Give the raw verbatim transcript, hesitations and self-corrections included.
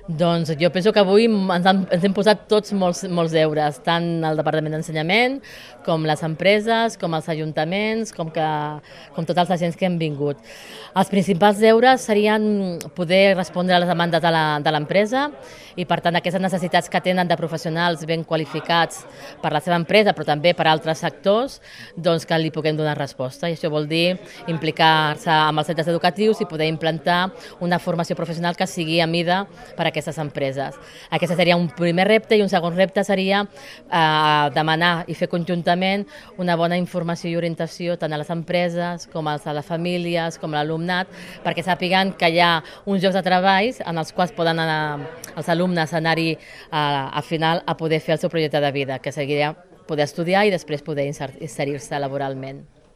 Doncs jo penso que avui ens, han, ens hem posat tots molts, molts deures, tant el Departament d'Ensenyament, com les empreses, com els ajuntaments, com, que, com tots els agents que hem vingut. Els principals deures serien poder respondre a les demandes de l'empresa i, per tant, aquestes necessitats que tenen de professionals ben qualificats per la seva empresa, però també per altres sectors, doncs que li puguem donar resposta. I això vol dir implicar-se amb els centres educatius i poder implantar una formació professional que sigui a mida per a aquestes empreses. Aquest seria un primer repte i un segon repte seria eh, demanar i fer conjuntament una bona informació i orientació tant a les empreses com a les famílies, com a l'alumnat, perquè sàpiguen que hi ha uns llocs de treball en els quals poden anar els alumnes anar-hi a, a final a poder fer el seu projecte de vida, que seria poder estudiar i després poder inserir-se laboralment.